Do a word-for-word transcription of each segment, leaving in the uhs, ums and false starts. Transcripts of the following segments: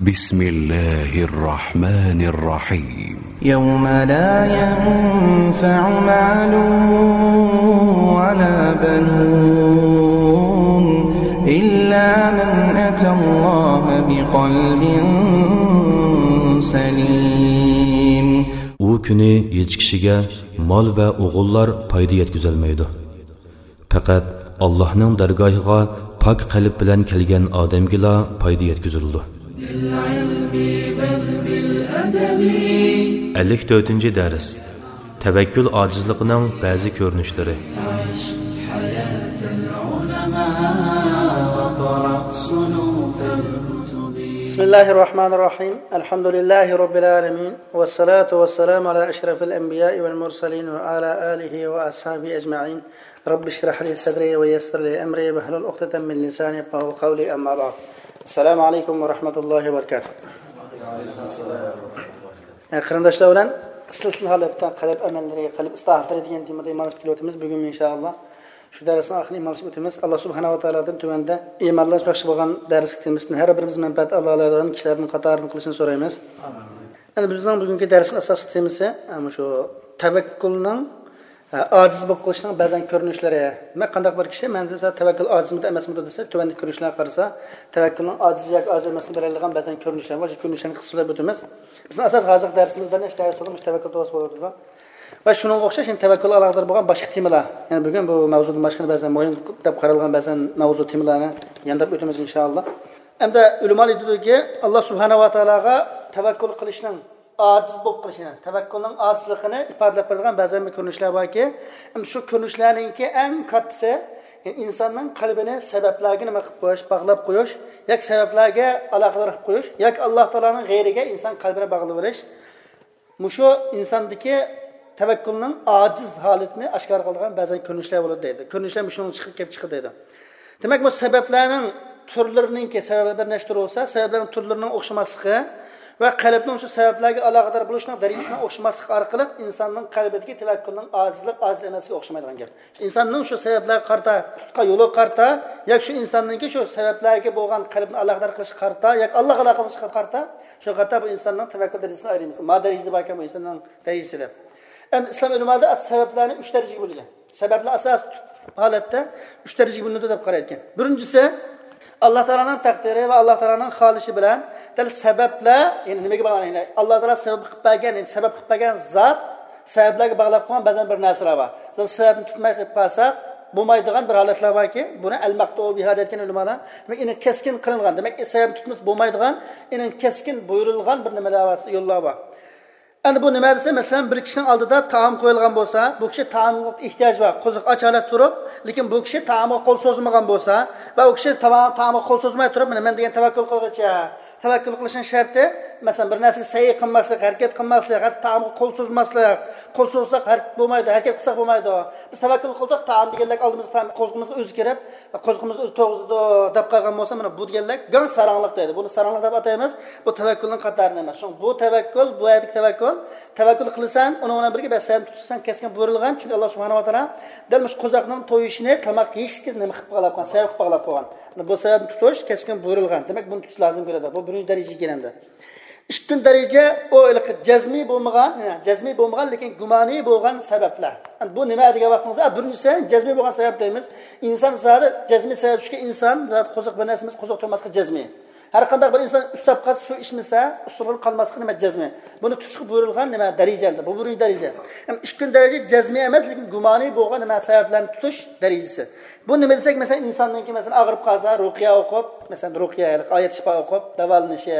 بسم الله الرحمن الرحيم. يوم لا ينفع مال ولا بنون إلا من أتى الله بقلب سليم. ئۇ كۈنى ھېچ كىشىگە مال ۋە ئوغۇللار پايدا يەتكۈزەلمەيدۇ. پەقەت ئاللاھنىڭ دەرگاھىغا پاك قەلب بىلەن كەلگەن ئادەمگىلا پايدا يەتكۈزۈلىدۇ. ئەللىك تۆتىنچى دەرس. تەۋەككۈل ئاجىزلىقىنىڭ بەزى كۆرۈنۈشلىرى. بسم الله الرحمن الرحيم. الحمد لله رب العالمين. والصلاة والسلام على أشرف الأنبياء والمرسلين وعلى آله وأصحابه أجمعين. رب اشرح لي صدري ويسر لي أمري واحلل عقدة من لساني يفقهوا قولي، أما بعد. السلام عليكم ورحمة الله وبركاته. ئە، قېرىنداشلار بىلەن سىلسىلە ھالەتتە قەلب ئەمەللىرى، قەلب ئىسلاھاتلىرى دېگەن تېمىدا ئىمانلىشىپ كېلىۋاتىمىز. بۈگۈن ئىنشائاللا شۇ دەرسنىڭ ئاخىرىنى ئىمانلىشىپ ئۆتىمىز. ئاللا سۇبھانەھۇ ۋە تائالادىن تۆۋەندە ئىمانلاشماقچى بولغان دەرسلىك تېمىسىدىن ھەر بىرىمىز مەنپەئەت ئالالايدىغان كىشىلەردىن قاتارىدىن قىلىشىنى سورايمىز. ئەمدى بىزنىڭ بۈگۈنكى دەرسنىڭ ئاساسلىق تېمىسى، ئە، مۇشۇ تەۋەككۈلنىڭ، ئە، ئاجىز بولۇپ قېلىشنىڭ بەزەن كۆرۈنۈشلىرى. دېمەك، قانداق بىر كىشى، مەن دېسە، تەۋەككۈل ئاجىزمىدى، ئەمەسمىدى دېسە، تۆۋەندىكى كۆرۈنۈشلەرگە قارىسا، تەۋەككۈلنىڭ ئاجىز ياكى ئاجىز ئەمەسلىكىنى بىلەلىگەن بەزەن كۆرۈنۈشلەر بار. شۇ كۆرۈنۈشلەرنى قىسقىچە سۆزلەپ ئۆتىمىز. بىزنىڭ ئاساسىي ھازىرقى دەرسىمىز بىر نەچچە دەرس بولدى، مۇشۇ تەۋەككۈل توغرىسىدا بولۇۋاتىدۇ. ۋە شۇنىڭغا ئوخشاش يەنە تەۋەككۈلگە ئالاقىدار بولغان باشقا تېمىلار. يەنە بۈگۈن بۇ مەۋزۇدىن باشقا بەزەن مۇھىم دەپ قارالغان بەزەن مەۋزۇ تېمىلارنى يانداپ ئۆتىمىز ئىنشائاللا. ئەمدى ئۆلىمالار ئېيتىدۇكى، ئاللا سۇبھانەھۇ ۋە تائالاغا تەۋەككۈل قىلىشنىڭ ئاجىز بولۇپ قېلىشىنى، تەۋەككۈلنىڭ ئاجىزلىقىنى ئىپادىلەپ بېرىدىغان بەزەن بىر كۆرۈنۈشلەر باركى، ئەمدى شۇ كۆرۈنۈشلەرنىڭكى ئەڭ كاتتىسى، يەنى ئىنساننىڭ قەلبىنى سەۋەبلەرگە نېمە قىلىپ قويۇش، باغلاپ قويۇش، ياكى سەۋەبلەرگە ئالاقىدار قىلىپ قويۇش، ياكى ئاللا تائالانىڭ غەيرىگە ئىنسان قەلبىنى باغلىۋېلىش. مۇشۇ ئىنساندىكى تەۋەككۈلنىڭ ئاجىز ھالىتىنى ئاشكارا قىلىدىغان بەزەن كۆرۈنۈشلەر بولىدۇ دەيدۇ. كۆرۈنۈشلەر مۇشۇنىڭ چىقىپ، كېلىپ چىقىدۇ دەيدۇ. دېمەك، بۇ سەۋەبلەرنىڭ تۈرلىرىنىڭكى، سەۋەبلەر بىر نەچچە تۈر بولسا، سەۋەبلەرنىڭ تۈرلىرىنىڭ ئوخشىماسلىقى ۋە قەلبنىڭ شۇ سەۋەبلەرگە ئالاقىدار بولۇشىنىڭ دەرىجىسىنىڭ ئوخشىماسلىقى ئارقىلىق ئىنساننىڭ قەلبىدىكى تەۋەككۈلنىڭ ئاجىزلىق، ئاجىز ئەمەسلىكى ئوخشىمايدىغان گەپ. ئىنساننىڭ شۇ سەۋەبلەرگە قارىتا تۇتقان يولىغا قارىتا، ياكى شۇ ئىنساننىڭكى شۇ سەۋەبلەرگە بولغان قەلبىنى ئالاقىدار قىلىشىغا قارىتا، ياكى ئاللاغا ئالاقە قىلىشىغا قارىتا، شۇ قارىتا بۇ ئىنساننىڭ تەۋەككۈل دەرىجىسىنى ئايرىيمىز. ما دەرىجىدە باركەن بۇ ئىنساننىڭ دەرىجىسى دەپ. ئەمدى ئىسلام ئۆلىمالىرى سەۋەبلەرنى ئۈچ دەرىجىگە بۆلگەن. سەۋەبلەر ئاساسىي ھالەتتە ئۈچ دەرىجىگە بۆلۈنىدۇ دەپ قارايدىكەن. بىرىنچىسى، ئاللا تائالانىڭ تەقدىرى ۋە ئاللا تائالانىڭ خالىشى بىلەن دەل سەۋەبلەر، يەنى نېمىگە باغلىنىدۇ؟ يەنى ئاللا تائالا سەۋەب قىلىپ بەرگەن، يەنى سەۋەب قىلىپ بەرگەن زات سەۋەبلەرگە باغلاپ قويغان بەزەن بىر نەرسىلەر بار. بىز سەۋەبنى تۇتماي قېلىپ قالساق بولمايدىغان بىر ھالەتلەر باركى، بۇنى ئەل مەقتۇئۇ بىھا دەيدىكەن ئۆلىمالار. دېمەك، ئېنىڭ كەسكىن قىلىنغان، دېمەك، سەۋەبنى تۇتمىسا بولمايدىغان، ئېنىڭ كەسكىن بۇيرۇلغان بىر نېمىلەر بار، يوللار بار. ئەمدى بۇ نېمە دېسە، مەسىلەن، بىر كىشىنىڭ ئالدىدا تائام قويۇلغان بولسا، بۇ كىشى تائامغا ئېھتىياجى بار، قورسىقى ئاچ ھالەتتە تۇرۇپ، لېكىن بۇ كىشى تائامغا قول سوزمىغان بولسا ۋە ئۇ كىشى تاما-، تائامغا قول سوزماي تۇرۇپ، مانا مەن دېگەن تەۋەككۈل قىلغۇچە، تەۋەككۈل قىلىشنىڭ شەرتى، مەسىلەن، بىر نەرسىگە سەي قىلماسلىق، ھەرىكەت قىلماسلىق، ھەتتا تائامغا قول سوزماسلىق، قول سوزساق ھەرىكەت بولمايدۇ، ھەرىكەت قىلساق بولمايدۇ. بىز تەۋەككۈل قىلدۇق، تائام دېگەنلەر ئالدىمىزغا تائام، قورسىقىمىزغا ئۆزى كىرىپ، قورسىقىمىز ئۆزى توغرىزىدۇ دەپ قالغان بولسا، مانا بۇ دېگەنلەر گاڭ ساراڭلىق دەيدۇ. بۇنى ساراڭلىق دەپ ئاتايمىز. بۇ تەۋەككۈلنىڭ قاتارىدا ئەمەس. شۇڭا بۇ تەۋەككۈل، بۇ يەردىكى تەۋەككۈل، تەۋەككۈل قىلىسەن، ئۇنىڭ بىلەن بىرگە بەس سەۋەبنى تۇتۇشسەن كەسكىن بۇيرۇلغان. چۈنكى ئاللا سۇبھانەھۇ ۋە تائالا دەل مۇشۇ قوزاقنىڭ تويۇشىنى تاماق يېيىشلىككە نېمە قىلىپ باغلاپ قويغان، سەۋەب قىلىپ باغلاپ قويغان. بۇ سەۋەبنى تۇتۇش كەسكىن بۇيرۇلغان. دېمەك، بۇنى تۇتۇش لازىم كېلىدۇ. بۇ بىرىنچى دەرىجىگە كىرەمدۇ. ئىككىنچى دەرىجە ئۇ ھېلىقى جەزمىي بولمىغان، يەنى جەزمىي بولمىغان، لېكىن گۇمانىي بولغان سەۋەبلەر. بۇ نېمە دېگەن ۋاقتىمىزدا، بىرىنچىسى جەزمىي بولغان سەۋەب دەيمىز. ئىنسان زادى جەزمىي سەۋەب شۇكى، ئىنسان زادى قوزۇق بىر نەرسە ئەمەس، قوزۇق تۇرماسلىقى جەزمىي. ھەر قانداق بىر ئىنسان ئۈچ ساپقا سۇ ئىچمىسە، ئۇسسۇلغا قالماسلىقى نېمە جەزمىي. بۇنى تۇتۇشقا بۇيرۇلغان نېمە دەرىجە ئەمدى. بۇ بىرىنچى دەرىجە. ئەمما ئىككىنچى دەرىجە جەزمىي ئەمەس، لېكىن گۇمانىي بولغان نېمە سەۋەبلەرنى تۇتۇش دەرىجىسى. بۇ نېمە دېسەك، مەسىلەن، ئىنساننىڭكى، مەسىلەن، ئاغرىپ قالسا، رۇقىيە ئوقۇپ، مەسىلەن، رۇقىيە، ئايەت شىپا ئوقۇپ داۋالىنىشى،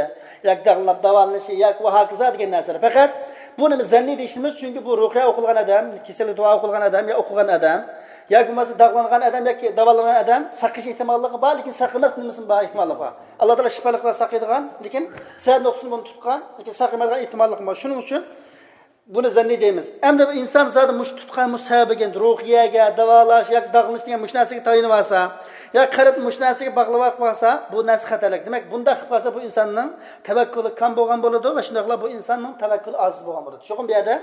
ياكى داغلىنىپ داۋالىنىشى، ياكى ۋە ھاكازا دېگەن نەرسىلەر. پەقەت بۇ نېمە زەننىي دېيىشىمىز، چۈنكى بۇ رۇقىيە ئوقۇلغان ئادەم، كېسەلگە دۇئا ئوقۇلغان ئادەم، يا ئوقۇغان ئادەم، ياكى بولمىسا داغلانغان ئادەم ياكى داۋالانغان ئادەم ساقىيىش ئېھتىماللىقى بار، لېكىن ساقىيماسلىق نېمىسى بار، ئېھتىماللىقى بار. ئاللا تائالا شىپالىق قىلىپ ساقىيدىغان، لېكىن سەۋەب نۇقتىسىدىن بۇنى تۇتقان، لېكىن ساقىيمايدىغان ئېھتىماللىقى بار. شۇنىڭ ئۈچۈن بۇنى زەننىي دەيمىز. ئەمدى بۇ ئىنسان زادى مۇشۇ تۇتقان مۇشۇ سەۋەبىگە، رۇقىيەگە، داۋالاش ياكى داغلىنىش دېگەن مۇشۇ نەرسىگە تايىنىۋالسا، يا قەلب مۇشۇ نەرسىگە باغلىۋاپ قالسا، بۇ نەرسە خەتەرلىك. دېمەك، بۇنداق قىلىپ قالسا، بۇ ئىنساننىڭ تەۋەككۈلى كام بولغان بولىدۇ ۋە شۇنداقلا بۇ ئىنساننىڭ تەۋەككۈلى ئاجىز بولغان بولىدۇ. چوقۇم بۇ يەردە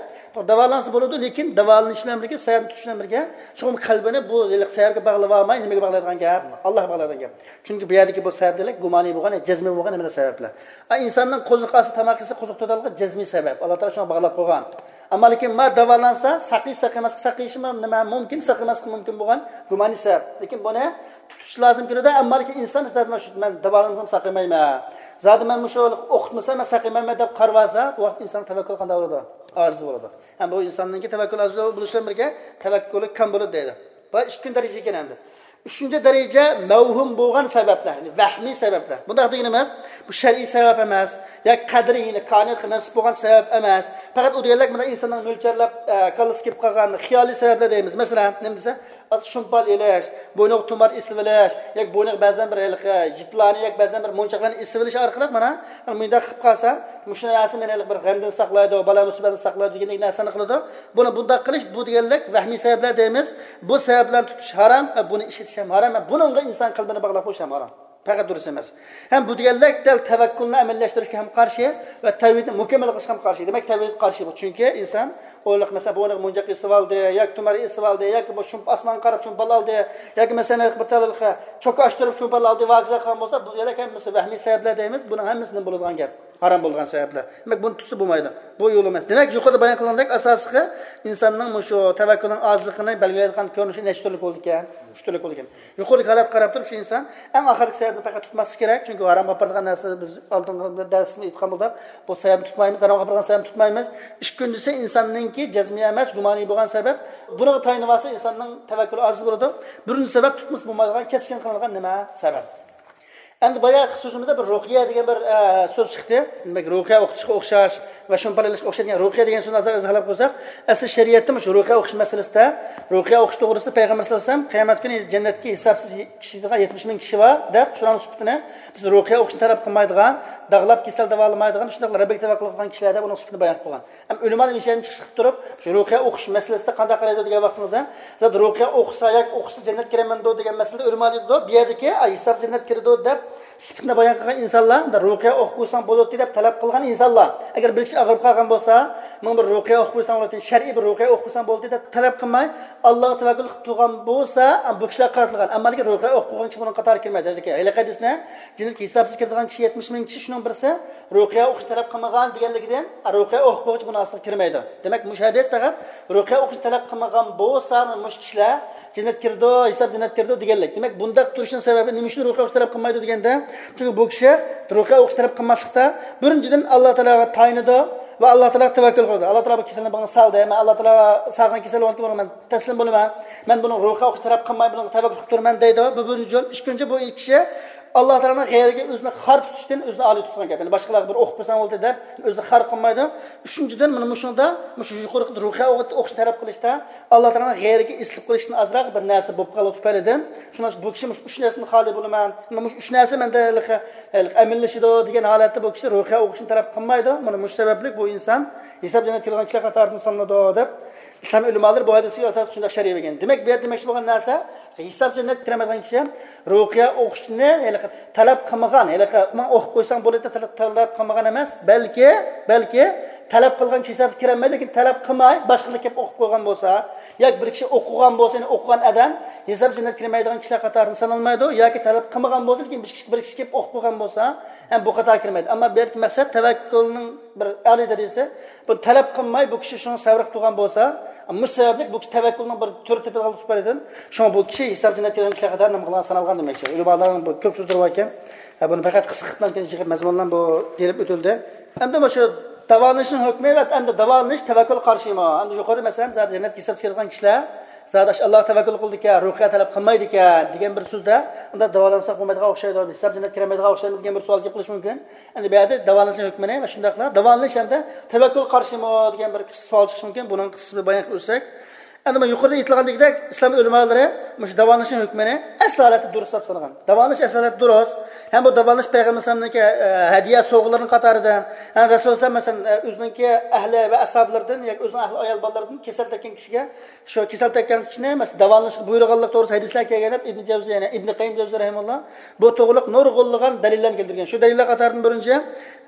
داۋالانسا بولىدۇ، لېكىن داۋالىنىش بىلەن بىرگە، سەۋەبنى تۇتۇش بىلەن بىرگە، چوقۇم قەلبىنى بۇ ھېلىقى سەۋەبكە باغلىۋالماي، نېمىگە باغلايدىغان گەپ؟ ئاللاھقا باغلايدىغان گەپ. چۈنكى بۇ يەردىكى بۇ سەۋەبلەر گۇمانىي بولغان، جەزمىي بولغان ھەممە سەۋەبلەر. ئا، ئىنساننىڭ قوزۇق ئالسا، تاماق يېسە، قوزۇق تۇتىدىغان جەزمىي سەۋەب. ئاللا تائالا شۇڭا باغلاپ قويغان. ئەمما لېكىن ما داۋالانسا، ساقىيىش، ساقىيماسلىق، ساقىيىشىمۇ نېمە مۇمكىن، ساقىيماسلىقى مۇمكىن بولغان گۇمانىي سەۋەب. لېكىن بۇنى تۇتۇش لازىم كېلىدۇ. ئەمما لېكىن ئىنسان زادى مەن شۇ، مەن داۋالانسام ساقىيمايمەن، زادى مەن مۇشۇ ئوقۇتمىسام مەن ساقىيمايمەن دەپ قارىۋالسا، بۇ ۋاقىت ئىنسان تەۋەككۈل قانداق بولىدۇ؟ ئاجىز بولىدۇ. ھەم بۇ ئىنساننىڭكى تەۋەككۈل ئاجىز بولۇشى بىلەن بىرگە تەۋەككۈلى كام بولىدۇ دەيدۇ. بۇ ئىككىنچى دەرىجە ئىكەن ئەمدى. ئۈچىنچى دەرىجە مەۋھۇم بولغان سەۋەبلەر، يەنى ۋەھمىي سەۋەبلەر. بۇنداق دېگىنىمىز، بۇ شەرئىي سەۋەب ئەمەس، ياكى قەدرىي، يەنى كائىناتقا مەنسۇپ بولغان سەۋەب ئەمەس. پەقەت ئۇ دېگەنلىك مانا ئىنساننىڭ مۆلچەرلەپ، ئە، كاللىسى كېلىپ قالغان خىيالىي سەۋەبلەر دەيمىز. مەسىلەن، نېمە دېسە، ئاز شۇمپان ئېلىش، بوينىغا تۇمار ئېسىۋېلىش، ياكى بوينىغا بەزەن بىر ھېلىقى يىپلارنى، ياكى بەزەن بىر مونچاقلارنى ئېسىۋېلىش ئارقىلىق مانا، مانا مۇنداق قىلىپ قالسا، مۇشۇ نەرسە مېنى ھېلىقى بىر غەمدىن ساقلايدۇ، بالا مۇسىبەتتىن ساقلايدۇ دېگەندەك نەرسىنى قىلىدۇ. بۇنى بۇنداق قىلىش، بۇ دېگەنلىك ۋەھمىي سەۋەبلەر دەيمىز. بۇ سەۋەب بىلەن تۇتۇش ھارام ۋە بۇنى ئىشلىتىش ھەم ھارام ۋە بۇنىڭغا ئىنسان قەلبىنى باغلاپ قويۇش ھەم ھارام. پەقەت دۇرۇس ئەمەس. ھەم بۇ دېگەنلىك دەل تەۋەككۈلنى ئەمەلىيلەشتۈرۈشكە ھەم قارشى ۋە تەۋھىدنى مۇكەممەل قىلىشقا ھەم قارشى. دېمەك، تەۋھىد قارشى بۇ. چۈنكى ئىنسان ئويلاق، مەسىلەن، بۇنى مونچاق ئېسىۋالدى، ياكى تۇمار ئېسىۋالدى، ياكى بۇ شۇم-، ئاسمانغا قاراپ شۇمپان ئالدى، ياكى مەسىلەن، بىر تال چوكا ئاچتۇرۇپ شۇمپان ئالدى، ۋاكىزا قىلغان بولسا، بۇ دېگەنلىك ھەممىسى ۋەھمىي سەۋەبلەر دەيمىز. بۇنىڭ ھەممىسى نېمە بولىدىغان گەپ؟ ھارام بولىدىغان سەۋەبلەر. دېمەك، بۇنى تۇتسا بولمايدۇ. بۇ يول ئەمەس. دېمەك، يۇقىرىدا بايان قىلغاندەك، ئاساسلىقى ئىنساننىڭ مۇشۇ تەۋەككۈلنىڭ ئاجىزلىقىنى بەلگىلەيدىغان كۆرۈنۈشى نەچچە تۈرلۈك بولىدىكەن، ئۈچ تۈرلۈك بولىدىكەن. يۇقىرىدىكى ھالەتكە قاراپ تۇرۇپ، شۇ ئىنسان ئەڭ ئاخىرقى سەۋەبنى پەقەت تۇتماسلىقى كېرەك. چۈنكى ھارامغا ئاپىرىدىغان نەرسە، بىز ئالدىنقى دەرسىمىزدە ئېيتقان بولدۇق، بۇ سەۋەبنى تۇتمايمىز، ھارامغا ئاپىرىدىغان سەۋەبنى تۇتمايمىز. ئىككىنچىسى، ئىنساننىڭكى جەزمىي ئەمەس، گۇمانىي بولغان سەۋەب. بۇنىڭغا تايىنىۋالسا، ئىنساننىڭ تەۋەككۈلى ئاجىز بولىدۇ. بىرىنچى سەۋەب، تۇتمىسا بولمايدىغان، كەسكىن قىلىنغان نېمە؟ سەۋەب. ئەمدى باياقى سۆزىمىزدە بىر رۇقيە دېگەن بىر، ئە، سۆز چىقتى. دېمەك، رۇقيە ئوقۇتۇشقا ئوخشاش ۋە شۇنىڭ بىلەن ئوخشاش دېگەن رۇقيە دېگەن سۆزنى ئازراق ئىزاھلاپ قويساق، ئەسلى شەرىئەتتە مۇشۇ رۇقيە ئوقۇش مەسىلىسىدە، رۇقيە ئوقۇش توغرىسىدا پەيغەمبەر سەللەللاھۇ ئەلەيھى ۋەسەللەم قىيامەت كۈنى جەننەتكە ھېسابسىز كىرىدىغان يەتمىش مىڭ كىشى بار دەپ، شۇلارنىڭ سۈپىتىنى بىز رۇقيە ئوقۇشنى تەلەپ قىلمايدىغان، داغلاپ كېسەل داۋالىمايدىغان، شۇنداقلا رەببىگە تەۋەككۈل قىلغان كىشىلەر دەپ ئۇنىڭ سۈپىتىنى بايان قىلغان. ھەم ئۆلىمالار مىشەنى چىقىپ تۇرۇپ، شۇ رۇقيە ئوقۇش مەسىلىسىدە قانداق قارايدۇ دېگەن ۋاقتىمىزدا، زادى رۇقيە ئوقۇسا ياكى ئوقۇسا جەننەتكە كىرەمەندۇ دېگەن مەسىلىدە ئۆلىمالار دەيدۇ، بۇ يەردىكى، ئاي، ھېساب جەننەت كىرىدۇ دەپ سۈپىتىنى بايان قىلغان ئىنسانلار، مۇنداق رۇقيە ئوقۇپ قويساڭ بولاتتى دەپ تەلەپ قىلغان ئىنسانلار. ئەگەر بىر كىشى ئاغرىپ قالغان بولسا، ماڭا بىر رۇقيە ئوقۇپ قويساڭ بولاتتى، شەرئىي بىر رۇقيە ئوقۇپ قويساڭ بولاتتى دەپ تەلەپ قىلماي، ئاللاغا تەۋەككۈل قىلىپ تۇرغان بولسا، بۇ كىشىلەر قارىتىلغان. ئەمما لېكىن رۇقيە ئوقۇپ قويغان كىشى بۇنىڭ قاتارىغا كىرمەيدۇ. ھېلىقى ھەدىسنى، جەننەتكە ھېسابسىز كىرىدىغان كىشى يەتمىش مىڭ كىشى، شۇنىڭ بىرسى رۇقيە ئوقۇشنى تەلەپ قىلمىغان دېگەنلىكىدىن، رۇقيە ئوقۇپ قويغۇچە بۇنىڭ ئاستىغا كىرمەيدۇ. دېمەك، مۇشۇ ھەدىس پەقەت رۇقيە ئوقۇشنى تەلەپ قىلمىغان بولسا، مۇشۇ كىشىلەر جەننەتكە كىرىدۇ، ھېساب جەننەتكە كىرىدۇ دېگەنلىك. دېمەك، بۇنداق تۇرۇشنىڭ سەۋەبى نېمە ئۈچۈن رۇقيە ئوقۇشنى تەلەپ قىلمايدۇ دېگەندە، چۈنكى بۇ كىشى رۇقيە ئوقۇشنى تەلەپ قىلماسلىقتا، بىرىنچىدىن، ئاللا تائالاغا تايىنىدۇ ۋە ئاللا تائالاغا تەۋەككۈل قىلىدۇ. ئاللا تائالا بۇ كېسەلنى ماڭا سالدى، مەن ئاللا تائالاغا سالغان كېسەل بولغانكى، بۇنىڭغا مەن تەسلىم بولىمەن، مەن بۇنىڭ رۇقيە ئوقۇشنى تەلەپ قىلماي، بۇنىڭغا تەۋەككۈل قىلىپ تۇرىمەن دەيدۇ. بۇ بىرىنچى يول. ئىككىنچى، بۇ كىشى ئاللا تائالانىڭ غەيرىگە ئۆزىنى خار تۇتۇشتىن ئۆزىنى ئالىي تۇتقان گەپ. يەنى باشقىلارغا بىر ئوقۇپ قويساڭ بولدى دەپ ئۆزىنى خار قىلمايدۇ. ئۈچىنچىدىن، مانا مۇشۇنىڭدا، مۇشۇ يۇقىرىقى رۇقيە ئوقۇشنى تەلەپ قىلىشتا ئاللا تائالانىڭ غەيرىگە ئېسىلىپ قېلىشتىن ئازراق بىر نەرسە بولۇپ قالغان تۈپەيلىدىن، شۇڭلاشقا بۇ كىشى مۇشۇ ئۈچ نەرسىدىن خالىي بولىمەن، مانا مۇشۇ ئۈچ نەرسە مەندە ھېلىقى، ھېلىقى ئەمىنلىشىدۇ دېگەن ھالەتتە بۇ كىشى رۇقيە ئوقۇشنى تەلەپ قىلمايدۇ. مانا مۇشۇ سەۋەبلىك بۇ ئىنسان ھېساب جەننەتكە كىرىدىغان كىشىلەر قاتارىدىن سانىلىدۇ دەپ ئىسلام ئۆلىمالىرى بۇ ھەدىسكە ئاساسەن شۇنداق شەرھ بەرگەن. دېمەك، بۇ يەردە دېمەكچى بولغان نەرسە، ھېساب جەننەتكە كىرەلمەيدىغان كىشى رۇقيە ئوقۇشنى ھېلىقى تەلەپ قىلمىغان، ھېلىقى ماڭا ئوقۇپ قويساڭ بولىدۇ دەپ تەلەپ، تەلەپ قىلمىغان ئەمەس، بەلكى، بەلكى تەلەپ قىلغان كىشى ھېسابقا كىرەلمەيدۇ، لېكىن تەلەپ قىلماي باشقىلار كېلىپ ئوقۇپ قويغان بولسا، ياكى بىر كىشى ئوقۇغان بولسا، يەنى ئوقۇغان ئادەم ھېساب جەننەتكە كىرمەيدىغان كىشىلەر قاتارىدىن سانالمايدۇ، ياكى تەلەپ قىلمىغان بولسا، لېكىن بىر كىشى، بىر كىشى كېلىپ ئوقۇپ قويغان بولسا، ھەم بۇ قاتارغا كىرمەيدۇ. ئەمما بۇ يەردىكى مەقسەت تەۋەككۈلنىڭ بىر ئالىي دەرىجىسى، بۇ تەلەپ قىلماي، بۇ كىشى شۇنى سەۋر قىلىپ تۇرغان بولسا، مۇشۇ سەۋەبلىك بۇ كىشى تەۋەككۈلنىڭ بىر تۈرى تېپىلغانلىقى تۈپەيلىدىن، شۇڭا بۇ كىشى ھېساب جەننەتكە كىرگەن كىشىلەر قاتارىدا نېمە قىلغان، سانالغان دېمەكچى. ئۆلىمالارنىڭ بۇ كۆپ سۆزلىرى باركەن، ھە، بۇنى پەقەت قىسقا قىلىپ يىغىپ مەزمۇنلارنى بۇ دېيىلىپ ئۆتۈلدى. ئەمدى مۇشۇ داۋالىنىشنىڭ ھۆكمى ۋە ئەمدى داۋالىنىش تەۋەككۈلگە قارشىمۇ؟ ئەمدى يۇقىرىدا، مەسىلەن، زادى جەننەتكە ھېسابسىز كىرىدىغان كىشىلەر زادى ئاشۇ ئاللاغا تەۋەككۈل قىلىدىكەن، رۇقيە تەلەپ قىلمايدىكەن دېگەن بىر سۆزدە، ئۇندا داۋالانساق بولمايدىغان ئوخشايدۇ، ھېساب جەننەتكە كىرەلمەيدىغان ئوخشايمىز دېگەن بىر سوئال كېلىپ قېلىشى مۇمكىن. ئەمدى بۇ يەردە داۋالىنىشنىڭ ھۆكمىنى ۋە شۇنداقلا داۋالىنىش ھەمدە تەۋەككۈلگە قارشىمۇ دېگەن بىر قىسقا سوئال چىقىشى مۇمكىن. بۇنىڭ قىسقىسىنى بايان قىلىپ ئۆتسەك، ئەمدى مانا يۇقىرىدا ئېيتىلغاندەك، ئىسلام ئۆلىمالىرى مۇشۇ داۋالىنىشنىڭ ھۆكمىنى ئەسلى ھالەتتە دۇرۇس دەپ سانىغان. داۋالىنىش ئەسلى ھالەتتە دۇرۇس. ھەم بۇ داۋالىنىش پەيغەمبەر ئەلەيھىسسالامنىڭكى، ئە، ھەدىيە سوۋغىلىرىنىڭ قاتارىدىن. ھەم رەسۇلۇللاھ مەسىلەن، ئە، ئۆزىنىڭكى ئەھلى ۋە ئەسھابلىرىدىن ياكى ئۆزىنىڭ ئەھلى ئايال بالىلىرىدىن كېسەل تەگكەن كىشىگە، شۇ كېسەل تەگكەن كىشىنى مەسىلەن داۋالىنىشقا بۇيرۇغانلىق توغرىسىدا ھەدىسلەر كەلگەن دەپ ئىبن جەۋزى، يەنى ئىبن قەييىم جەۋزى رەھىمەھۇللاھ بۇ توغرۇلۇق نۇرغۇنلىغان دەلىللەرنى كەلتۈرگەن. شۇ دەلىللەر قاتارىدىن بىرىنچى،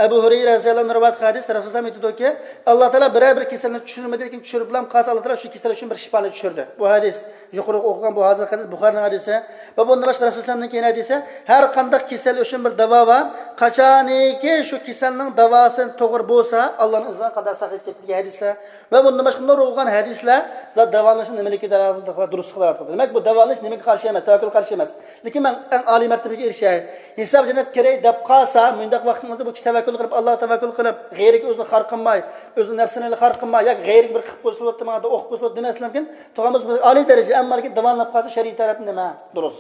ئەبۇ ھۇرەيرە رەزىيەللاھۇ ئەنھۇ رىۋايەت قىلغان ھەدىس، رەسۇلۇللاھ ئېيتىدۇكى، ئاللاھ تائالا بىرەر بىر كېسەلنى چۈشۈرمىدى، لېكىن چۈشۈرۈپلا قالسا، ئاللاھ تائالا شۇ كېسەل ئۈچۈن بىر شىپانى چۈشۈردى. بۇ ھەدىس يۇقىرىقى ئوقۇغان بۇ ھازىرقى ھەدىس بۇخارىنىڭ ھەدىسى. ۋە بۇندىن باشقا رەسۇلۇللاھنىڭ كېيىن ھەدىسى، ھەر قانداق كېسەل ئۈچۈن بىر داۋا بار. قاچانىكى شۇ كېسەلنىڭ داۋاسى توغرا بولسا، ئاللاھنىڭ ئىزنى بىلەن قانداق ساقىيىش دېگەن ھەدىسلەر. ۋە بۇندىن باشقا نۇرغۇن ھەدىسلەر زات داۋالىنىشنىڭ نېمىلىكى دۇرۇسلۇقىغا دەلالەت قىلىدۇ. دېمەك، بۇ داۋالىنىش نېمىگە قارشى ئەمەس؟ تەۋەككۈلگە قارشى ئەمەس. لېكىن مەن ئەڭ ئالىي مەرتىبىگە ئېرىشەي، ھېساب جەننەتكە كىرەي دەپ قالسا، مۇنداق ۋاقتىڭىزدا بۇ كىشى تەۋەككۈل قىلىپ، ئاللاھقا تەۋەككۈل قىلىپ، غەيرىگە ئۆزىنى خار قىلماي، ئۆزىنىڭ نەپسىنى خار قىلماي، ياكى غەيرىگە بىر قىلىپ قويسا بولاتتى، ماڭا ئوقۇپ قويسا بولاتتى دېمەسلىكى مۇمكىن. تۇغانمىز بۇ ئالىي دەرىجە، ئەمما لېكىن داۋالىنىپ قالسا شەرئىي تەرەپتىن نېمە؟ دۇرۇس.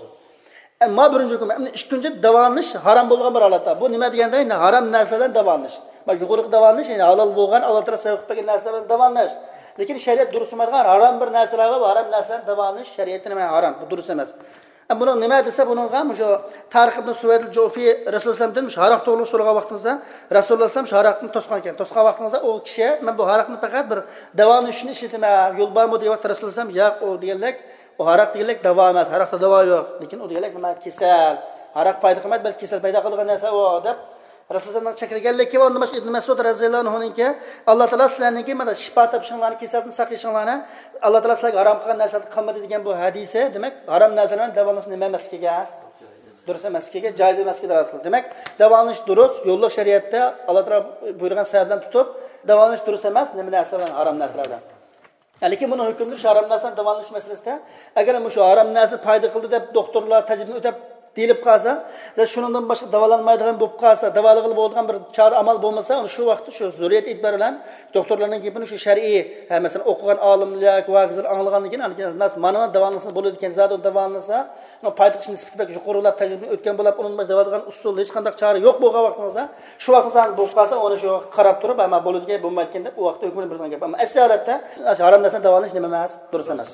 ئەمما بىرىنچى ھۆكۈم. ئەمدى ئىككىنچى، داۋالىنىش ھارام بولغان بىر ھالەتتە. بۇ نېمە دېگەندە، يەنى ھارام نەرسە بىلەن داۋالىنىش. ما يۇقىرىقى داۋالىنىش، يەنى ھالال بولغان، ئاللاھ تائالا سەۋەب قىلىپ بەرگەن نەرسە بىلەن داۋالىنىش. لېكىن شەرىئەت دۇرۇس دېمەيدىغان ھارام بىر نەرسىلەر بار، ھارام نەرسە بىلەن داۋالىنىش شەرىئەتتە نېمە؟ ھارام. بۇ دۇرۇس ئەمەس. ئەمما بۇنىڭ نېمە دېسە، بۇنىڭغا مۇشۇ تارىخ ئىبن سۇۋەيد جۇفى رەسۇلۇللاھتىن مۇشۇ ھاراق توغرۇلۇق سورىغان ۋاقتىڭىزدا، رەسۇلۇللاھ شۇ ھاراقنى توسقان ئىكەن. توسقان ۋاقتىڭىزدا ئۇ كىشى، مەن بۇ ھاراقنى پەقەت بىر داۋالىنىش ئۈچۈن ئىشلىتىمەن، يول بارمۇ دەيۋاتتى رەسۇلۇللاھ. ياق، ئۇ دېگەنلىك، ئۇ ھاراق دېگەنلىك داۋا ئەمەس، ھاراقتا داۋا يوق. لېكىن ئۇ دېگەنلىك نېمە؟ كېسەل. ھاراق پايدا قىلمايدۇ، بەلكى كېسەل پەيدا قىلىدىغان نەرسە ئۇ، دەپ رەسۇلۇللاھنىڭ چەكلىگەنلىكى ۋە ئۇندىن باشقا ئىبن مەسئۇد رەزىيەللاھۇ ئەنھۇنىڭكى، ئاللاھ تائالا سىلەرنىڭكى مانا شىپا تېپىشىڭلارنى، كېسەلدىن ساقىيىشىڭلارنى ئاللاھ تائالا سىلەرگە ھارام قىلغان نەرسىلەرنى قىلمىدى دېگەن بۇ ھەدىسى، دېمەك، ھارام نەرسە بىلەن داۋالىنىش نېمە ئەمەسلىكىگە، دۇرۇس ئەمەسلىكىگە، جائىز ئەمەسلىكىگە دالالەت قىلىدۇ. دېمەك، داۋالىنىش دۇرۇس، يوللۇق شەرىئەتتە ئاللاھ تائالا بۇيرۇغان سەۋەبلەرنى تۇتۇپ، داۋالىنىش دۇرۇس ئەمەس، نېمە نەرسە بىلەن؟ ھارام نەرسىلەر بىلەن. لېكىن بۇنىڭ ھۆكمىدە شۇ ھارام نەرسىلەر داۋالىنىش مەسىلىسىدە، ئەگەر مۇشۇ ھارام نەرسە پايدا قىلدى دەپ دوختۇرلار تەجرىبىدىن ئۆتۈپ دېيىلىپ قالسا، شۇنىڭدىن باشقا داۋالانمايدىغان بولۇپ قالسا، داۋالىغىلى بولىدىغان بىر چارە ئامال بولمىسا، شۇ ۋاقىتتا شۇ زۆرۈرىيەت ئېتىبارى بىلەن دوختۇرلارنىڭ گېپىنى شۇ شەرئىي، ھە، مەسىلەن، ئوقۇغان ئالىملار ياكى ۋاكىزلار ئاڭلىغاندىن كېيىن، ئاندىن كېيىن مانا داۋالانسا بولىدىكەن، زادى داۋالانسا، پايدا قىلىش نىسبىتى بەك يۇقىرىلاپ تەجرىبىدىن ئۆتكەن بولۇپ، ئۇنىڭدىن باشقا داۋالىغان ئۇسۇل ھېچقانداق چارە يوق بولغان ۋاقتىڭىزدا، شۇ ۋاقىتتا ساڭا بولۇپ قالسا، ئۇنى شۇ قاراپ تۇرۇپ، ئەمما بولىدىكەن، بولمايدىكەن دەپ ئۇ ۋاقىتتا ھۆكمىنى بېرىدىغان گەپ. ئەمما ئەسلى ھالەتتە ھارام نەرسىنى داۋالىنىش نېمە ئەمەس، دۇرۇس ئەمەس.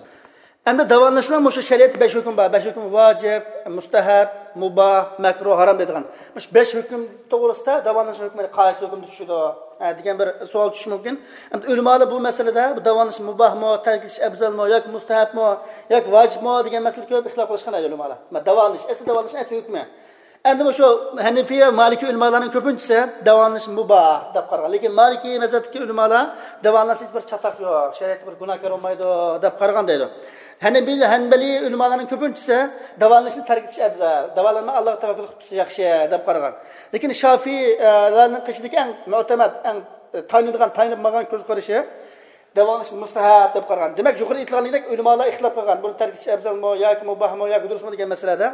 ئەمدى داۋالىنىشنىڭ مۇشۇ شەرىئەتتە بەش ھۆكۈم بار. بەش ھۆكۈم ۋاجىپ، مۇستەھەب، مۇباھ، مەكرۇھ، ھارام دەيدىغان. مۇشۇ بەش ھۆكۈم توغرىسىدا داۋالىنىشنىڭ ھۆكمى قايسى ھۆكۈمدە چۈشىدۇ، ھە، دېگەن بىر سوئال چۈشۈشى مۇمكىن. ئەمدى ئۆلىمالار بۇ مەسىلىدە بۇ داۋالىنىش مۇباھمۇ، تەرك ئېتىش ئەۋزەلمۇ ياكى مۇستەھەبمۇ ياكى ۋاجىپمۇ دېگەن مەسىلىدە كۆپ ئىختىلاپ قىلىشقان ئۆلىمالار. مانا داۋالىنىش، ئەسلى داۋالىنىش ئەسلى ھۆكمى. ئەمدى مۇشۇ ھەنىفىي ۋە مالىكىي ئۆلىمالارنىڭ كۆپىنچىسى داۋالىنىش مۇباھ دەپ قارىغان. لېكىن مالىكىي مەزھەپتىكى ئۆلىمالار داۋالانسا ھېچ بىر چاتاق يوق، شەرىئەتتە بىر گۇناھكار بولمايدۇ دەپ قارىغان دەيدۇ. ھەنەبىي، ھەنبەلىي ئۆلىمالارنىڭ كۆپىنچىسى داۋالىنىشنى تەرك ئېتىش ئەۋزەل، داۋالانماي ئاللاغا تەۋەككۈل قىلىپ تۇرسا ياخشى دەپ قارىغان. لېكىن شافىئىيلارنىڭ ئىچىدىكى ئەڭ مۆتەمەد، ئەڭ تايىنىدىغان، تايىنىپ ماڭغان كۆز قارىشى داۋالىنىش مۇستەھەب دەپ قارىغان. دېمەك، يۇقىرىدا ئېيتىلغاندەك ئۆلىمالار ئىختىلاپ قىلغان، بۇنى تەرك ئېتىش ئەۋزەلمۇ ياكى مۇباھمۇ ياكى دۇرۇسمۇ دېگەن مەسىلىدە.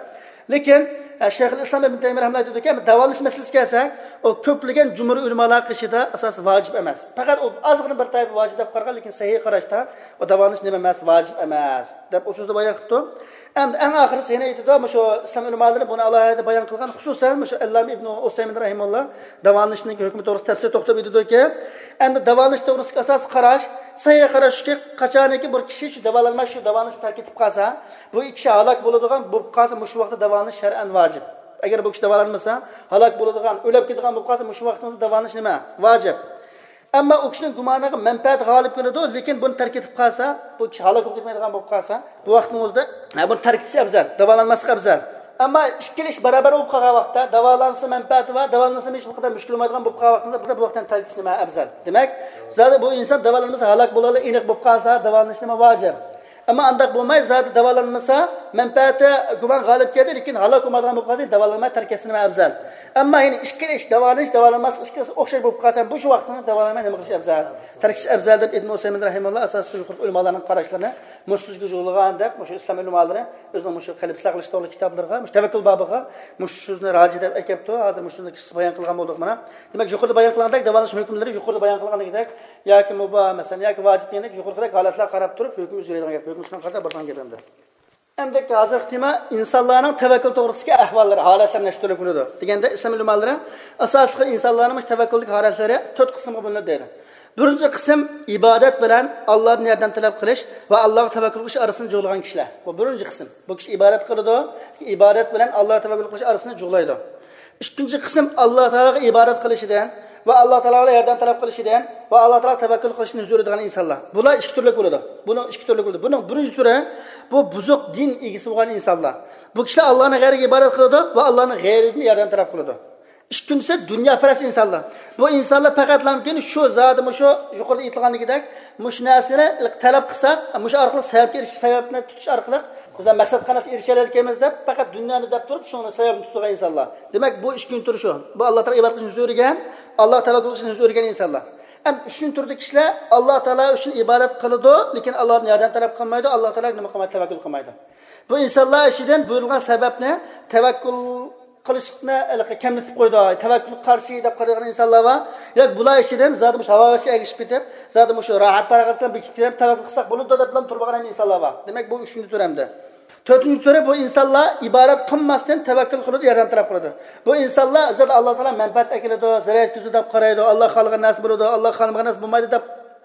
لېكىن، ئە، شەيخۇل ئىسلام ئىبن تەيمىيە رەھمەتۇللاھى ئېيتىدۇكى، داۋالىنىش مەسىلىسىگە كەلسەك، ئۇ كۆپلىگەن جۇمھۇر ئۆلىمالار قېشىدا ئاساسى ۋاجىپ ئەمەس. پەقەت ئۇ ئازغىنە بىر تائىپە ۋاجىپ دەپ قارىغان، لېكىن سەھىھ قاراشتا ئۇ داۋالىنىش نېمە ئەمەس، ۋاجىپ ئەمەس، دەپ ئۇ سۆزدە بايان قىپتۇ. ئەمدى ئەڭ ئاخىرىسى يەنە ئېيتىدۇ، مۇشۇ ئىسلام ئۆلىمالىرى بۇنى ئالاھىدە بايان قىلغان، خۇسۇسەن مۇشۇ ئەللامە ئىبنى ئۇسەيمىن رەھىمۇللا داۋالىنىشنىڭ ھۆكمى توغرىسىدا تەپسىلىي توختىلىپ ئېيتىدۇكى، ئەمدى داۋالىنىش توغرىسىدىكى ئاساسىي قاراش، سەھىھ قاراش شۇكى، قاچانكى بىر كىشى شۇ داۋالانماي شۇ داۋالىنىشنى تەرك ئېتىپ قالسا، بۇ كىشى ھالاك بولىدىغان بولۇپ قالسا، مۇشۇ ۋاقىتتا داۋالىنىش شەرئەن ۋاجىپ. ئەگەر بۇ كىشى داۋالانمىسا، ھالاك بولىدىغان، ئۆلۈپ كېتىدىغان بولۇپ قالسا، مۇشۇ ۋاقتىڭىزدا داۋالىنىش نېمە؟ ۋاجىپ. ئەمما ئۇ كىشىنىڭ گۇمانىغا مەنپەئەت غالىب كېلىدۇ، لېكىن بۇنى تەرك ئېتىپ قالسا، بۇ كىشى ھالاك بولۇپ كەتمەيدىغان بولۇپ قالسا، بۇ ۋاقتىڭىزدا، ھە، بۇنى تەرك ئېتىش ئەۋزەل، داۋالانماسلىق ئەۋزەل. ئەمما ئىككىلا ئىش بارابەر بولۇپ قالغان ۋاقىتتا، داۋالانسا مەنپەئەتى بار، داۋالانمىسا ھېچ بىر قەدەر مۈشكۈل بولمايدىغان بولۇپ قالغان ۋاقتىڭىزدا، بۇ ۋاقىتتا تەرك ئېتىش نېمە ئەۋزەل؟ دېمەك، زادى بۇ ئىنسان داۋالانمىسا ھالاك بولىدىغانلىقى ئېنىق بولۇپ قالسا، داۋالىنىش نېمە ۋاجىپ. ئەمما ئانداق بولماي، زادى داۋالانمىسا، مەنپەئەتى گۇمان غالىب كەلدى، لېكىن ھالاك بولمايدىغان بولۇپ قالسا، داۋالانماي تەرك ئەتسە نېمە ئەۋزەل. ئەمما يەنە ئىككىلا ئىش، داۋالىنىش، داۋالانماسلىق ئىككىلىسى ئوخشاش بولۇپ قالسا، بۇ شۇ ۋاقىتتا داۋالانماي نېمە قىلىش ئەۋزەل؟ تەرك ئېتىش ئەۋزەل دەپ ئىبن ئۇسەيمىن رەھىمەھۇللا ئاساسلىق يۇقىرىقى ئۆلىمالارنىڭ قاراشلىرىنى مۇشۇ سۆزگە يولىغان دەپ، مۇشۇ ئىسلام ئۆلىمالىرى ئۆزىنىڭ مۇشۇ قەلب ئىسلاھ قىلىش توغرىلىق كىتابلىرىغا، مۇشۇ تەۋەككۈل بابىغا مۇشۇ سۆزنى راجىھ دەپ ئەكەپتۇ. ھازىر مۇشۇ سۆزنى قىسقا بايان قىلغان بولدۇق مانا. دېمەك، يۇقىرىدا بايان قىلغاندەك داۋالىنىش ھۆكۈملىرى يۇقىرىدا بايان قىلغاندەك ياكى مۇباھ، مەسىلەن، ياكى ۋاجىپ دېگەندەك يۇقىرىقىدەك ھالەتلەرگە قاراپ تۇرۇپ ھۆكۈم ئۆزگىرىدىغان گەپ. ھۆكۈم شۇنىڭغا قاراپ بارىدىغان گەپ ئەمدى. ئەمدى ھازىرقى تېما ئىنسانلارنىڭ تەۋەككۈل توغرىسىدىكى ئەھۋاللىرى، ھالەتلەر نەچچە تۈرلۈك بولىدۇ دېگەندە، ئىسلام ئۆلىمالىرى ئاساسلىقى ئىنسانلارنىڭ مۇشۇ تەۋەككۈلدىكى ھالەتلىرى تۆت قىسىمغا بۆلۈنىدۇ دەيدۇ. بىرىنچى قىسىم ئىبادەت بىلەن ئاللادىن ياردەم تەلەپ قىلىش ۋە ئاللاغا تەۋەككۈل قىلىش ئارىسىنى جۇغلىغان كىشىلەر. بۇ بىرىنچى قىسىم. بۇ كىشى ئىبادەت قىلىدۇ، ئىبادەت بىلەن ئاللاغا تەۋەككۈل قىلىش ئارىسىنى جۇغلايدۇ. ئىككىنچى قىسىم ئاللا تائالاغا ئىبادەت قىلىشىدىن ۋە ئاللا تائالاغا ياردەم تەلەپ قىلىشىدىن ۋە ئاللا تائالاغا تەۋەككۈل قىلىشتىن يۈز ئۆرۈيدىغان ئىنسانلار. بۇلار ئىككى تۈرلۈك بولىدۇ. بۇنىڭ ئىككى تۈرلۈك بولىدۇ. بۇنىڭ بىرىنچى تۈرى، بۇ بۇزۇق دىن ئىگىسى بولغان ئىنسانلار. بۇ كىشىلەر ئاللانىڭ غەيرىگە ئىبادەت قىلىدۇ ۋە ئاللانىڭ غەيرىدىن ياردەم تەلەپ قىلىدۇ. ئىككىنچىسى دۇنياپەرەس ئىنسانلار. بۇ ئىنسانلار پەقەتلا مۇمكىن شۇ زادى مۇشۇ يۇقىرىدا ئېيتىلغاندىكىدەك، مۇشۇ نەرسىنى تەلەپ قىلساق، مۇشۇ ئارقىلىق سەۋەبكە ئېرىشىش، سەۋەبنى تۇتۇش ئارقىلىق بىز مەقسەتخانىسىگە ئېرىشەلەيدىكەنمىز دەپ، پەقەت دۇنيانى دەپ تۇرۇپ، شۇنىڭ سەۋەبىنى تۇتىدىغان ئىنسانلار. دېمەك، بۇ ئىككىنچى تۈرى شۇ. بۇ ئاللا تائالاغا ئىبادەت قىلىشنى يۈز ئۆرۈگەن، ئاللاغا تەۋەككۈل قىلىشنى يۈز ئۆرۈگەن ئىنسانلار. ئھەم ئۈچىنچى تۈردىكى كىشىلەر ئاللا تائالا ئۈچۈن ئىبادەت قىلىدۇ، لېكىن ئاللادىن ياردەم تەلەپ قىلمايدۇ، ئاللا تائالاغا نېمە قىلمايدۇ؟ تەۋەككۈل قىلمايدۇ. بۇ ئىنسانلار ئىچىدىن بۇيرۇلغان سەۋەبنى تەۋەككۈل قىلىشنى ھېلىقى كەملىتىپ قويدى، تەۋەككۈلگە قارشى دەپ قارىغان ئىنسانلار بار. ياكى بۇلار ئىچىدىن زادى مۇشۇ ھاۋا ھەۋەسكە ئەگىشىپ كېتىپ، زادى مۇشۇ راھەت پاراغەت بىلەن بېكىپ كېتىپ، تەۋەككۈل قىلساق بولىدۇ دەپ بىلەن تۇرمىغان ھەم ئىنسانلار بار. دېمەك، بۇ ئۈچىنچى تۈر ئەمدى. تۆتىنچى تۈرى، بۇ ئىنسانلار ئىبادەت قىلماستىن تەۋەككۈل قىلىدۇ، ياردەم تەلەپ قىلىدۇ. بۇ ئىنسانلار زادى ئاللا تائالا مەنپەئەت ئەكېلىدۇ، زەرەر يەتكۈزىدۇ دەپ قارايدۇ، ئاللا خالىغان نەرسە بولىدۇ، ئاللا خالىمىغان نەرسە بولمايدۇ دەپ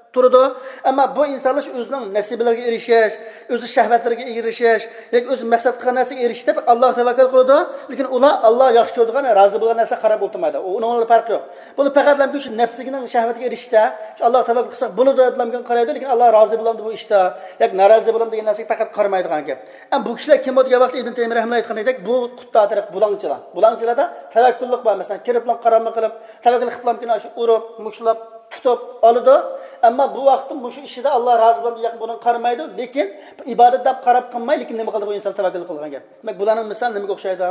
تۇرىدۇ. ئەمما بۇ ئىنسانلار شۇ ئۆزىنىڭ نەسىبىلىرىگە ئېرىشىش، ئۆزى شەھۋەتلىرىگە ئېرىشىش ياكى ئۆزى مەقسەت قىلغان نەرسىگە ئېرىشىش دەپ ئاللاغا تەۋەككۈل قىلىدۇ. لېكىن ئۇلار ئاللا ياخشى كۆرىدىغان، رازى بولغان نەرسىگە قاراپ ئولتۇرمايدۇ. ئۇ، ئۇنىڭ بىلەن پەرقى يوق. بۇنىڭ پەقەتلا شۇ نەپسىنىڭ شەھۋىتىگە ئېرىشىشتە، شۇ ئاللاغا تەۋەككۈل قىلساق بولىدۇ دەپلا قارايدۇ، لېكىن ئاللا رازى بولامدۇ بۇ ئىشتا ياكى نارازى بولامدۇ دېگەن نەرسىگە پەقەت قارىمايدىغان گەپ. ئەمما بۇ كىشىلەر كىم بولىدۇ دېگەن ۋاقىتتا ئىبن تەيمىيە رەھىمەھۇللا ئېيتقاندەك، بۇ قۇتتا تەرەپ بۇلاڭچىلار. بۇلاڭچىلاردا تەۋەككۈللۈك بار. مەسىلەن، كىرىپلا قاراملىق قىلىپ، تەۋەككۈل قىپلامكىن شۇ ئۇرۇپ، مۇشتلاپ، تۇتۇپ ئالىدۇ. ئەمما بۇ ۋاقىتتا مۇشۇ ئىشىدا ئاللا رازى بولامدۇ ياكى بۇنىڭغا قارىمايدۇ، لېكىن ئىبادەت دەپ قاراپ قىلماي، لېكىن نېمە قىلدى بۇ ئىنسان؟ تەۋەككۈل قىلغان گەپ. دېمەك، بۇلارنىڭ مىسالى نېمىگە ئوخشايدۇ؟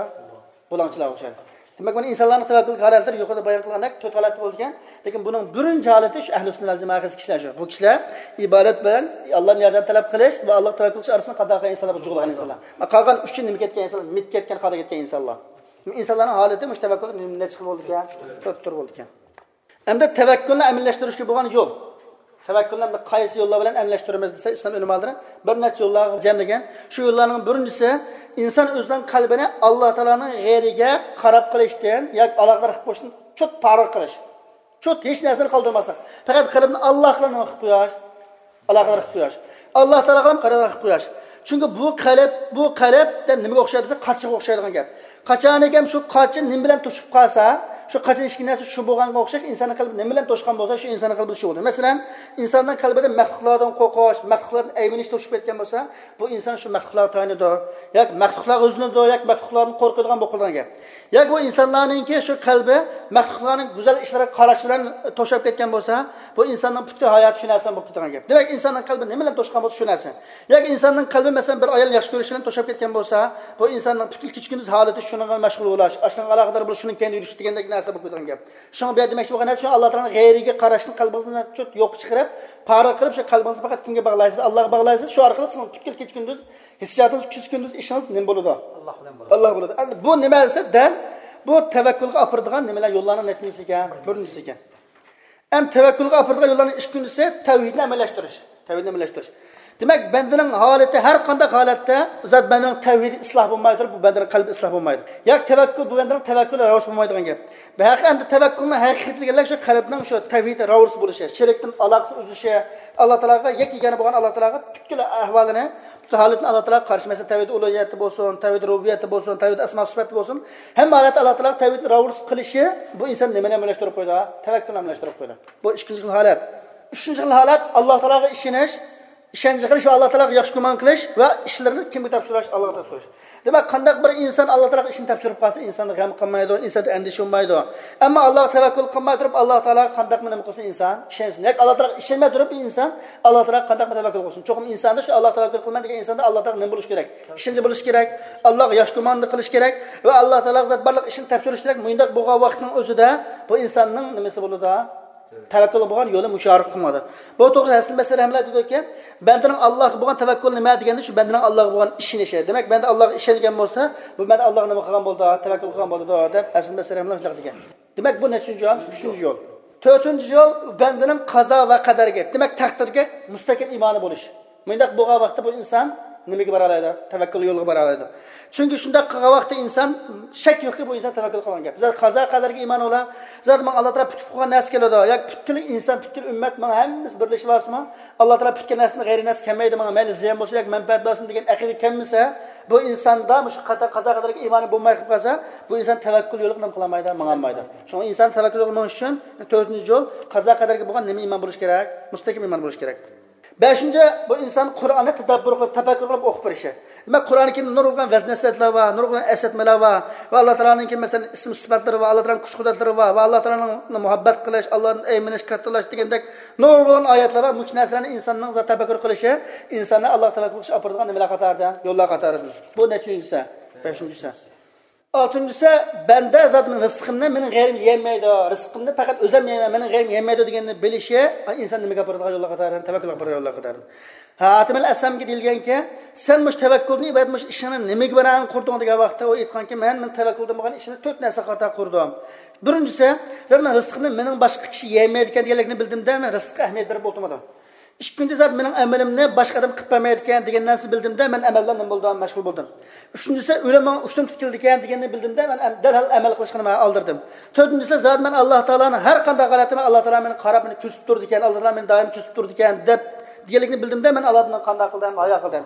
بۇلاڭچىلارغا ئوخشايدۇ. دېمەك، مانا ئىنسانلارنىڭ تەۋەككۈللۈك ھالەتلىرى يۇقىرىدا بايان قىلغاندەك تۆت ھالەتتە بولىدىكەن. لېكىن بۇنىڭ بىرىنچى ھالىتى شۇ ئەھلى سۈننە ۋەل جامائە كىشىلەر شۇ. بۇ كىشىلەر ئىبادەت بىلەن ئاللادىن ياردەم تەلەپ قىلىش ۋە ئاللاغا تەۋەككۈل قىلىش ئارىسىدا قالغان ئىنسانلار، بۇ جۇغلىغان ئىنسانلار. قالغان ئۈچى نېمە كەتكەن ئىنسانلار؟ مىت كەتكەن، خاتا كەتكەن ئىنسانلار. ئىنسانلارنىڭ ھالىتى مۇشۇ تەۋەككۈل نەچچە خىل بولىدىكەن؟ تۆت تۈر بولىدىكەن. ئەمدى تەۋەككۈلنى ئەمەلىيلەشتۈرۈشكە بولغان يول. تەۋەككۈلنى ئەمدى قايسى يوللار بىلەن ئەمەلىيلەشتۈرىمىز دېسە، ئىسلام ئۆلىمالىرى بىر نەچچە يوللارغا جەملىگەن. شۇ يوللارنىڭ بىرىنچىسى، ئىنسان ئۆزىنىڭ قەلبىنى ئاللا تائالانىڭ غەيرىگە قاراپ قېلىشتىن ياكى ئالاقىدار قىلىپ قويۇشتىن چوت پارە قىلىش. چوت ھېچ نەرسىنى قالدۇرماسلىق. پەقەت قەلبىنى ئاللاغا نېمە قىلىپ قويۇش؟ ئالاقىدار قىلىپ قويۇش. ئاللا تائالاغا قاراق قىلىپ قويۇش. چۈنكى بۇ قەلب، بۇ قەلب دە نېمىگە ئوخشايدۇ دېسە، قاچىغا ئوخشايدىغان گەپ. قاچانىكەن شۇ قاچا نېمە بىلەن توشۇپ قالسا، شۇ قاچىنىڭ ئىچىدىكى نەرسە شۇ بولغانغا ئوخشاش، ئىنساننىڭ قەلبى نېمە بىلەن توشقان بولسا، شۇ ئىنساننىڭ قەلبىدە شۇ بولىدۇ. مەسىلەن، ئىنساننىڭ قەلبىدە مەخلۇقلاردىن قورقۇش، مەخلۇقلاردىن ئەيمىنىش توشۇپ كەتكەن بولسا، بۇ ئىنسان شۇ مەخلۇقلارغا تايىنىدۇ، ياكى مەخلۇقلارغا ئۆزلىنىدۇ، ياكى مەخلۇقلاردىن قورقىدىغان بولۇپ قالىدىغان گەپ. ياكى بۇ ئىنسانلارنىڭكى شۇ قەلبى مەخلۇقلارنىڭ گۈزەل ئىشلىرىغا قاراش بىلەن توشۇپ كەتكەن بولسا، بۇ ئىنساننىڭ پۈتكۈل ھاياتى شۇ نەرسە بىلەن بولۇپ كېتىدىغان گەپ. دېمەك، ئىنساننىڭ قەلبى نېمە بىلەن توشقان بولسا، شۇ نەرسە. ياكى ئىنساننىڭ قەلبى، مەسىلەن، بىر ئايالنى ياخشى كۆرۈش بىلەن توشۇپ كەتكەن بولسا، بۇ ئىنساننىڭ پۈتكۈل كېچە-كۈندۈز ھالىتى شۇنىڭغا مەشغۇل بولۇش، ئاشۇنىڭغا ئالاقىدار بولۇش، شۇنىڭ كەينىدە يۈرۈش دېگەندەك نەرسە بولۇپ كېتىدىغان گەپ. شۇڭا بۇ يەردە دېمەكچى بولغان نەرسە، شۇ ئاللا تائالانىڭ غەيرىگە قاراشنى قەلبىڭىزدىن چوت يوققا چىقىرىپ، پارە قىلىپ، شۇ قەلبىڭىزنى پەقەت كىمگە باغلايسىز؟ ئاللاغا باغلايسىز. شۇ ئارقىلىق سىزنىڭ پۈتكۈل كېچە-كۈندۈز ھېسسىياتىڭىز، كېچە-كۈندۈز ئىشىڭىز نېمە بولىدۇ؟ ئاللا بىلەن بولىدۇ. ئاللا بولىدۇ. ئەمدى بۇ نېمە دېسە، دەل بۇ تەۋەككۈلگە ئاپىرىدىغان نېمىلەر، يوللارنىڭ نەچچىنچىسى ئىكەن؟ بىرىنچىسى ئىكەن. ئەمدى تەۋەككۈلگە ئاپىرىدىغان يوللارنىڭ ئىككىنچىسى تەۋھىدنى ئەمەلىيلەشتۈرۈش. تەۋھىدنى ئەمەلىيلەشتۈرۈش. دېمەك، بەندىنىڭ ھالىتى ھەر قانداق ھالەتتە زات بەندىنىڭ تەۋھىدى ئىسلاھ بولماي تۇرۇپ، بۇ بەندىنىڭ قەلبى ئىسلاھ بولمايدۇ. ياكى تەۋەككۈل، بۇ بەندىنىڭ تەۋەككۈلى راۋۇس بولمايدىغان گەپ. بۇ ھەقىقەت ئەمدى تەۋەككۈلنىڭ ھەقىقىي دېگەنلەر شۇ قەلبنىڭ شۇ تەۋھىدى راۋۇس بولۇشى، شېرىكتىن ئالاقىسى ئۈزۈلۈشى، ئاللا تائالاغا يەككە يېگانە بولغان ئاللا تائالاغا پۈتكۈل ئەھۋالىنى، پۈتكۈل ھالىتىنى ئاللا تائالاغا قارشى، مەسىلەن، تەۋھىد ئۇلۇھىيەتتە بولسۇن، تەۋھىد رۇبۇبىيەتتە بولسۇن، تەۋھىد ئەسما سۈپەتتە بولسۇن، ھەممە ھالەتتە ئاللا تائالاغا تەۋھىدنى راۋۇس قىلىشى، بۇ ئىنسان نېمىنى ئەمەلىيلەشتۈرۈپ قويىدۇ؟ تەۋەككۈلنى ئەمەلىيلەشتۈرۈپ قويىدۇ. بۇ ئىككىنچى خىل ھالەت. ئۈچىنچى خىل ھالەت، ئاللا تائالاغا ئىشىنىش، ئىشەنچ قىلىش ۋە ئاللا تائالاغا ياخشى گۇمان قىلىش ۋە ئىشلىرىنى كىمگە تاپشۇرۇش؟ ئاللاغا تاپشۇرۇش. دېمەك، قانداق بىر ئىنسان ئاللا تائالاغا ئىشىنى تاپشۇرۇپ قالسا، ئىنساندا غەم قالمايدۇ، ئىنساندا ئەندىشە بولمايدۇ. ئەمما ئاللاغا تەۋەككۈل قىلماي تۇرۇپ، ئاللا تائالاغا قانداقمۇ نېمە قىلسۇن ئىنسان؟ ئىشەنسۇن. ياكى ئاللا تائالاغا ئىشەنمەي تۇرۇپ ئىنسان ئاللا تائالاغا قانداقمۇ تەۋەككۈل قىلسۇن؟ چوقۇم ئىنساندا شۇ ئاللا تەۋەككۈل قىلىمەن دېگەن ئىنساندا ئاللا تائالاغا نېمە بولۇشى كېرەك؟ ئىشەنچى بولۇشى كېرەك. ئاللاغا ياخشى گۇماننى قىلىشى كېرەك ۋە ئاللا تائالاغا زات بارلىق ئىشنى تاپشۇرۇش كېرەك. مۇنداق بولغان ۋاقىتنىڭ ئۆزىدە بۇ ئىنساننىڭ نېمىسى بولىدۇ؟ تەۋەككۈل بولغان يولى مۇشۇ ئارقىلىق قىلىنىدۇ. بۇ توغرىسىدا ھەسەن بەسرى رەھمەتۇللاھى دېدىكى، بەندىنىڭ ئاللاغا بولغان تەۋەككۈلى نېمە دېگەندە، شۇ بەندىنىڭ ئاللاغا بولغان ئىشىنىشى. دېمەك، بەندە ئاللاغا ئىشەنگەن بولسا، بۇ بەندە ئاللاغا نېمە قىلغان بولىدۇ؟ تەۋەككۈل قىلغان بولىدۇ، دەپ ھەسەن بەسرى رەھمەتۇللاھى دېگەن. دېمەك، بۇ نەچچىنچى يول؟ ئۈچىنچى يول. تۆتىنچى يول، بەندىنىڭ قازا ۋە قەدەرگە، دېمەك، تەقدىرگە مۇستەھكەم ئىمانى بولۇش. مۇنداق بولغان ۋاقىتتا بۇ ئىنسان نېمىگە بارالايدۇ؟ تەۋەككۈل يولىغا بارالايدۇ. چۈنكى شۇنداق قىلغان ۋاقىتتا ئىنسان، شەك يوقكى، بۇ ئىنسان تەۋەككۈل قىلغان گەپ. بىز قازا قەدەرگە ئىمان بولا، زادى ماڭا ئاللا تائالا پۈتۈپ قويغان نەرسە كېلىدۇ. ياكى پۈتكۈل ئىنسان، پۈتكۈل ئۈممەت، ماڭا ھەممىسى بىرلىشىپ ئالسىمۇ، ئاللا تائالا پۈتكەن نەرسىدىن غەيرىي نەرسە كەلمەيدۇ، ماڭا مەيلى زىيان بولسۇن ياكى مەنپەئەت بولسۇن دېگەن ئەقىدە كەلمىسە، بۇ ئىنساندا مۇشۇ قاتا-، قازا قەدەرگە ئىمانى بولماي قېلىپ قالسا، بۇ ئىنسان تەۋەككۈل يولىغا نېمە قىلالمايدۇ، ماڭالمايدۇ. شۇڭا ئىنسان تەۋەككۈل يولىغا مېڭىش ئۈچۈن تۆتىنچى يول، قازا قەدەرگە بولغان نېمە ئىمان بولۇش كېرەك؟ مۇستەھكەم ئىمان بولۇش كېرەك. بەشىنچى، بۇ ئىنسان قۇرئاننى تەدەببۇر قىلىپ، تەپەككۇر قىلىپ ئوقۇپ بېرىشى. دېمەك، قۇرئان كەرىمدە نۇرغۇن ۋەز نەسىھەتلەر بار، نۇرغۇن ئەسلەتمىلەر بار ۋە ئاللا تائالانىڭكى، مەسىلەن، ئىسىم سۈپەتلىرى بار، ئاللا تائالانىڭ كۈچ قۇدرەتلىرى بار ۋە ئاللا تائالانى مۇھەببەت قىلىش، ئاللادىن ئەيمىنىش، كاتتىلاش دېگەندەك نۇرغۇن ئايەتلەر بار. مۇشۇ نەرسىلەرنى ئىنساننىڭ زادى تەپەككۇر قىلىشى ئىنساننى ئاللاغا تەۋەككۈل قىلىشقا ئاپىرىدىغان نېمىلەر قاتارىدىن، يوللار قاتارىدىن. بۇ نەچچىنچىسى؟ بەشىنچىسى. ئالتىنچىسى، بەندە زادى مېنىڭ رىزقىمنى مېنىڭ غەيرىم يېيەلمەيدۇ، رىزقىمنى پەقەت ئۆزۈم يەيمەن، مېنىڭ غەيرىم يېيەلمەيدۇ دېگەننى بىلىشى ئىنسان نېمىگە ئاپىرىدىغان يوللار قاتارىدىن، تەۋەككۈلگە ئاپىرىدىغان يوللار قاتارىدىن. ھاتىمىل ئەسلەمگە دېيىلگەنكى، سەن مۇشۇ تەۋەككۈلدىن ئىبارەت مۇشۇ ئىشىڭنى نېمىگە بىنائەن قۇردۇڭ دېگەن ۋاقىتتا ئۇ ئېيتقانكى، مەن، مېنىڭ تەۋەككۈلدىن بولغان ئىشىمنى تۆت نەرسىگە قارىتا قۇردۇم. بىرىنچىسى، زادى مەن رىزقىمنى مېنىڭ باشقا كىشى يېيەلمەيدىكەن دېگەنلىكنى بىلدىمدە، مەن رىزىققا ئەھمىيەت بېرىپ ئولتۇرمىدىم. ئىككىنچى زات، مېنىڭ ئەمىلىمنى باشقا ئادەم قىلىپ بەرمەيدىكەن دېگەن نەرسىنى بىلدىمدە، مەن ئەمەل بىلەن نېمە بولدۇم؟ مەشغۇل بولدۇم. ئۈچىنچىسى، ئۆلۈم ماڭا ئۇشتۇمتۇت كېلىدىكەن دېگەننى بىلدىمدە، مەن ئەم-، دەرھال ئەمەل قىلىشقا مەن ئالدىردىم. تۆتىنچىسى، زادى مەن ئاللا تائالانى ھەر قانداق ھالەتتە مەن ئاللا تائالا مېنى قاراپ، مېنى كۆزىتىپ تۇرىدىكەن، ئاللا تائالا مېنى دائىم كۆزىتىپ تۇرىدىكەن دەپ دېگەنلىكنى بىلدىمدە، مەن ئاللادىن قانداق قىلدىم؟ ھايا قىلدىم.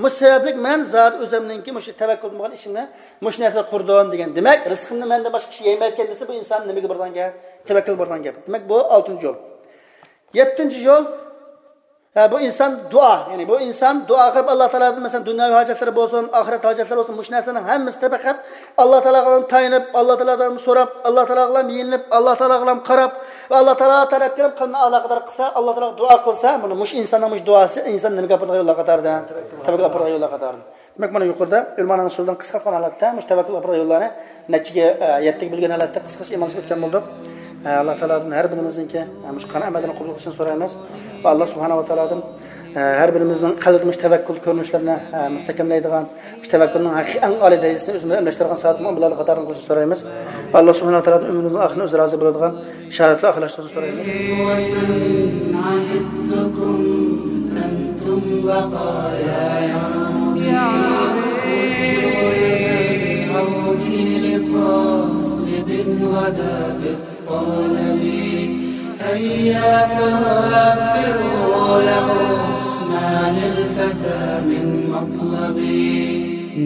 مۇشۇ سەۋەبلىك مەن زادى ئۆزۈمنىڭكى مۇشۇ تەۋەككۈل بولغان ئىشىمنى مۇشۇ نەرسىگە قۇردۇم دېگەن. دېمەك، رىزقىمنى مەندىن باشقا كىشى يەيمەيدىكەن دېسە، بۇ ئىنسان نېمىگە بارىدىغان گەپ؟ تەۋەككۈل بارىدىغان گەپ. دېمەك، بۇ ئالتىنچى يول. يەتتىنچى يول، ھە، بۇ ئىنسان دۇئا. يەنى بۇ ئىنسان دۇئا قىلىپ، ئاللا تائالادىن، مەسىلەن، دۇنياۋى ھاجەتلىرى بولسۇن، ئاخىرەت ھاجەتلىرى بولسۇن، مۇشۇ نەرسىلەرنىڭ ھەممىسىدە پەقەت ئاللا تائالاغا تايىنىپ، ئاللا تائالادىن سوراپ، ئاللا تائالاغا يېلىنىپ، ئاللا تائالاغا يېلىنىپ، ۋە ئاللا تائالا تەرەپكە قېنىپ قەلبىنى ئالاقىدار قىلسا، ئاللا تائالاغا دۇئا قىلسا، مانا مۇشۇ ئىنساننىڭ مۇشۇ دۇئاسى ئىنسان نېمىگە ئاپىرىدىغان يوللار قاتارىدا؟ تەۋەككۈل ئاپىرىدىغان يوللار قاتارىدا. دېمەك، مانا يۇقىرىدا ئۆلىمانىڭ سۆزىدىن قىسقارتقان ھالەتتە مۇشۇ تەۋەككۈل ئاپىرىدىغان يوللارنى نەچچىگە، ئە، يەتتىگە بۆلگەن ھالەتتە قىسقىچە ئىمانلىشىپ ئۆتكەن بولدۇق. ئە، ئاللا تائالادىن ھەر بىرىمىزنىڭكى، ئە، مۇشۇ قىلغان ئەمەللىرىنى قوبۇل قىلىشىنى سورايمىز. ۋە ئاللا سۇبھانەھۇ ۋە تائالادىن، ئە، ھەر بىرىمىزنىڭ قەلبىدە مۇشۇ تەۋەككۈل كۆرۈنۈشلىرىنى، ئە، مۇستەھكەملەيدىغان، مۇشۇ تەۋەككۈلنىڭ ھەقىقىي ئەڭ ئالىي دەرىجىسىنى ئۆزىمىزدە ئەمەلدىن كەچۈرىدىغان سادىق مۆمىنلەرنىڭ قاتارىدىن قىلىشنى سورايمىز. ۋە ئاللا سۇبھانەھۇ ۋە تائالادىن ئۆمرىمىزنىڭ ئاخىرىنى ئۆزى رازى بولىدىغان شاھادەتلەر ئاخىرلاشتۇرۇشنى سورايمىز. إخوة عهدتكم أنتم بقايا يا عربي. ردوا يد العون لطالب غدا في الطلب. هيا فوفروا له ما للفتى من مطلب.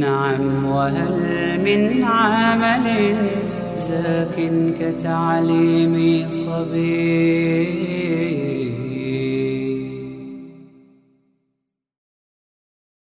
نعم، وهل من عمل زاك كتعليم صبي؟